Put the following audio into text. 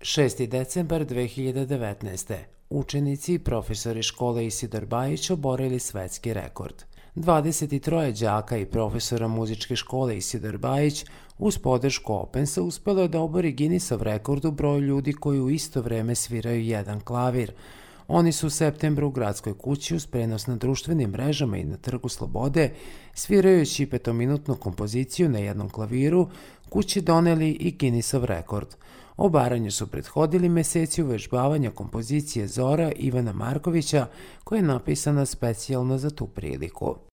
6. decembar 2019. Učenici i profesori škole Isidor Bajić oborili svetski rekord. 23 đaka i profesora muzičke škole Isidor Bajić uz podršku Opensa uspelo je da obori Guinnessov rekord u broju ljudi koji u isto vreme sviraju jedan klavir. Oni su u septembru u Gradskoj kući uz prenos na društvenim mrežama i na Trgu Slobode, svirajući petominutnu kompoziciju na jednom klaviru, kući doneli i Guinnessov rekord. Obaranju su prethodili meseci uvežbavanja kompozicije Zora Ivana Markovića, koja je napisana specijalno za tu priliku.